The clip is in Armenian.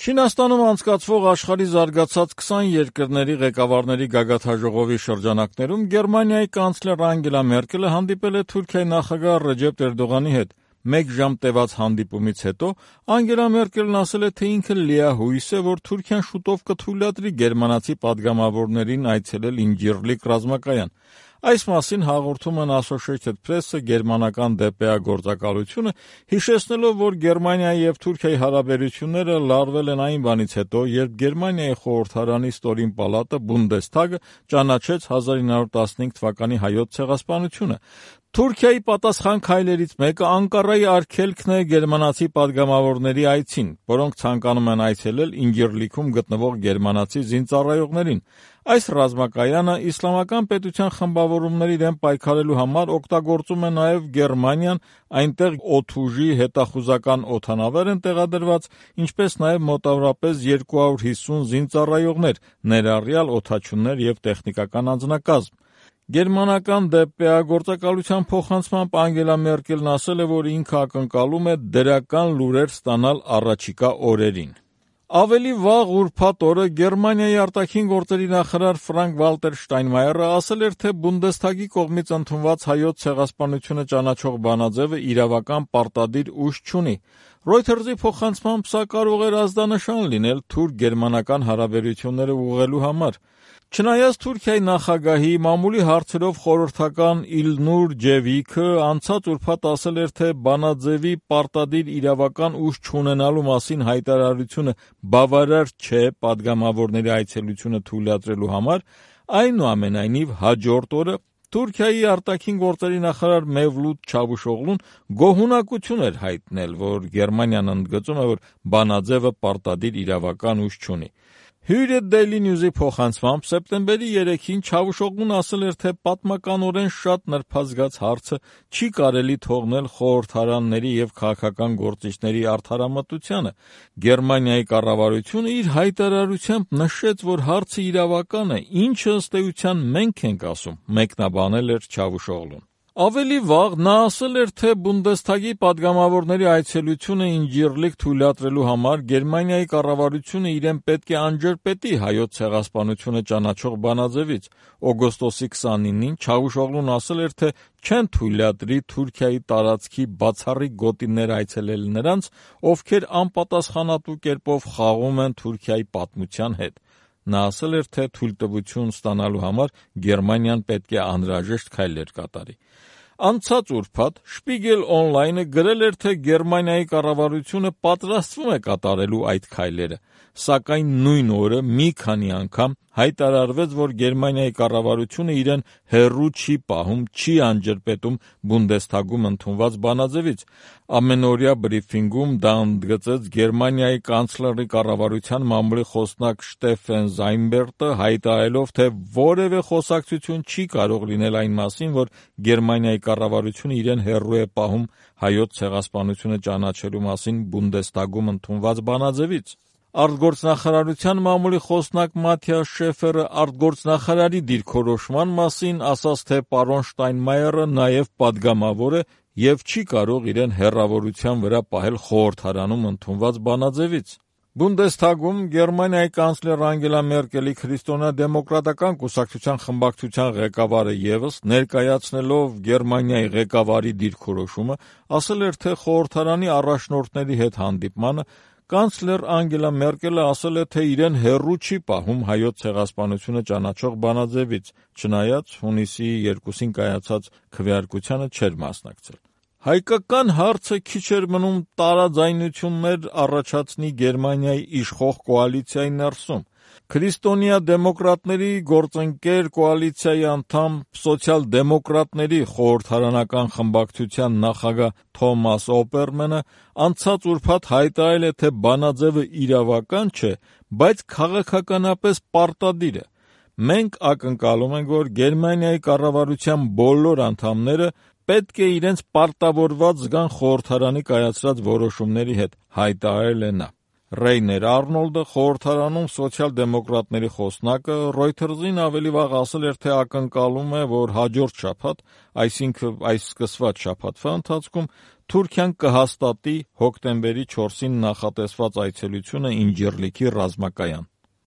Չինաստանում անցկացվող աշխարհի զարգացած 20 երկրների ղեկավարների գագաթնաժողովի շրջանակներում Գերմանիայի կանցլեր Անգելա Մերկելը հանդիպել է Թուրքիայի նախագահ Ռեջեփ Էրդողանի հետ։ 1 ժամ տևած հանդիպումից հետո Անգելա Մերկելն ասել է, թե ինքը լիահույս է, որ Թուրքիան շուտով կթույլատրի գերմանացի պատգամավորներին այցելել Ինջիրլիկ ռազմակայան։ Այս մասին հաղորդում են Associated Press-ը, գերմանական ԴՊԱ գործակալությունը, հիշեցնելով, որ Գերմանիայի եւ Թուրքիայի հարաբերությունները լարվել են այն բանից հետո, երբ Գերմանիայի խորհրդարանի ստորին պալատը Բունդեսթագը ճանաչեց 1915 թվականի հայոց ցեղասպանությունը։ Թուրքիայի պատասխան քայլերից մեկը Անկարայի արգելքն է գերմանացի պատգամավորների այցին, որոնք ցանկանում են այցելել Ինջիրլիքում գտնվող գերմանացի զինծառայողներին։ Այս ռազմակայանը իսլամական պետության խմբավորումների դեմ պայքարելու համար օգտագործում է նաև Գերմանիան, այնտեղ օդուժի հետախուզական օդանավեր են տեղադրված, ինչպես նաև մոտավորապես 250 զինծառայողներ, ներառյալ օդաչուներ եւ տեխնիկական անձնակազմ։ Գերմանական ԴՊԱ գործակալության փոխանցմամբ Անգելա Մերկելն ասել է, որ ինքը ակնկալում է դրական լուրեր ստանալ առաջիկա օրերին։ Ավելի վաղ ուրբաթ օրը Գերմանիայի արտաքին գործերի նախարար Ֆրանկ-Վալտեր Շտայնմայերը ասել էր, թե Բունդեսթագի կողմից ընդունված հայոց ցեղասպանությունը ճանաչող բանաձևը իրավական պարտադիր ուժ չունի։ Reuters-ի փոխանցմամբ սա կարող էր ազդանշան լինել թուրք-գերմանական հարաբերությունները ուղղելու համար։ Չնայած Թուրքիայի նախագահի մամուլի հարցերով խորհրդական Իլնուր Ջևիքը անցած ուրբաթ ասել էր, թե բանաձևի պարտադիր իրավական ուժ չունենալու մասին հայտարարությունը բավարար չէ պատգամավորների այցելությունը թույլատրելու համար, այնուամենայնիվ հաջորդ օրը Թուրքիայի արտաքին գործերի նախարար Մևլութ Չավուշօղլուն գոհունակություն էր հայտնել, որ Գերմանիան ընդգծում է, որ բանաձևը պարտադիր իրավական ուժ չունի։ Hürriyet Daily News-ի փոխանցմամբ սեպտեմբերի 3-ին Չավուշօղլուն ասել էր, թե պատմականորեն շատ նրբազգաց հարցը չի կարելի թողնել խորհրդարանների եւ քաղաքական գործիչների արդարամտությանը։ Գերմանիայի կառավարությունը իր հայտարարությամբ նշեց, որ հարցը իրավական է, ինչը ըստ էության մենք ենք ասում, մեկնաբանել էր Չավուշօղլուն։ Ավելի վաղ նա ասել էր, թե Բունդեսթագի պատգամավորների այցելությունը Ինջիրլիկ թույլատրելու համար Գերմանիայի կառավարությունը իրեն պետք է անջրպետի հայոց ցեղասպանությունը ճանաչող բանաձևից։ Օգոստոսի 29-ին Չավուշօղլուն ասել էր, թե չեն թույլատրի Թուրքիայի տարածքի բացառիկ գոտիներ այցելել նրանց, ովքեր անպատասխանատու կերպով խաղում են Թուրքիայի պատմության հետ։ Նա ասել էր, թե թույլտվություն ստանալու համար Գերմանիան պետք է անհրաժեշտ քայլեր կատարի։ Անցած ուրբաթ Spiegel Online-ը գրել էր, թե Գերմանիայի կառավարությունը պատրաստվում է կատարելու այդ քայլերը, սակայն նույն օրը մի քանի անգամ հայտարարվեց, որ Գերմանիայի կառավարությունը իրեն հեռու չի պահում, չի անջրպետում Բունդեսթագում ընդունված բանաձևից։ Ամենօրյա բրիֆինգում դա ընդգծեց Գերմանիայի կանցլերի կառավարության մամուլի խոսնակ Շտեֆեն Զայնբերտը, հայտարարելով, թե որևէ խոսակցություն չի կարող լինել այն մասին, որ Գերմանիայի կառավարությունը իրեն հեռու է պահում հայոց ցեղասպանությունը ճանաչելու մասին Բունդեսթագում ընդունված բանաձևից։ Արտգործնախարարության մամուլի խոսնակ Մաթիաս Շեֆերը արտգործնախարարի դիրքորոշման մասին ասաց, թե պարոն Շտայնմայերը նաև պատգամավոր է եւ չի կարող իրեն հեռավորության վրա պահել խորհրդարանում ընդունված բանաձևից։ Բունդեսթագում Գերմանիայի կանցլեր Անգելա Մերկելի քրիստոնեա-դեմոկրատական կուսակցության խմբակցության ղեկավարը ևս ներկայացնելով Գերմանիայի ղեկավարի դիրքորոշումը ասել էր, թե խորհրդարանի առաջնորդների հետ հանդիպմանը կանցլեր Անգելա Մերկելը ասել է, թե իրեն հեռու չի պահում հայոց ցեղասպանությունը ճանաչող բանաձևից, չնայած հունիսի 2-ին կայացած քվեարկությանը չէր մասնակցել։ Հայկական հարցը քիչ էր մնում տարաձայնություններ առաջացնի Գերմանիայի իշխող կոալիցիայի ներսում։ Քրիստոնեա-դեմոկրատների գործընկեր կոալիցիայի անդամ սոցիալ-դեմոկրատների խորհրդարանական խմբակցության նախագահ Թոմաս Օպերմանը անցած ուրբաթ հայտարարել է, թե բանաձևը իրավական չէ, բայց քաղաքականապես պարտադիր է։ Մենք ակնկալում ենք, որ Գերմանիայի կառավարության բոլոր անդամները պետք է իրենց պարտավորված զգան խորհրդարանի կայացրած որոշումների հետ, հայտարարել է նա։ Ռեյներ Արնոլդը, խորհրդարանում սոցիալ-դեմոկրատների խոսնակը, Reuters-ին ավելի վաղ ասել էր, թե ակնկալում է, որ հաջորդ շաբաթ, այսինքն այս սկսված շաբաթվա ընթացքում Թուրքիան կհաստատի հոկտեմբերի 4-ին նախատեսված այցելությունը Ինջիրլիքի ռազմակայան։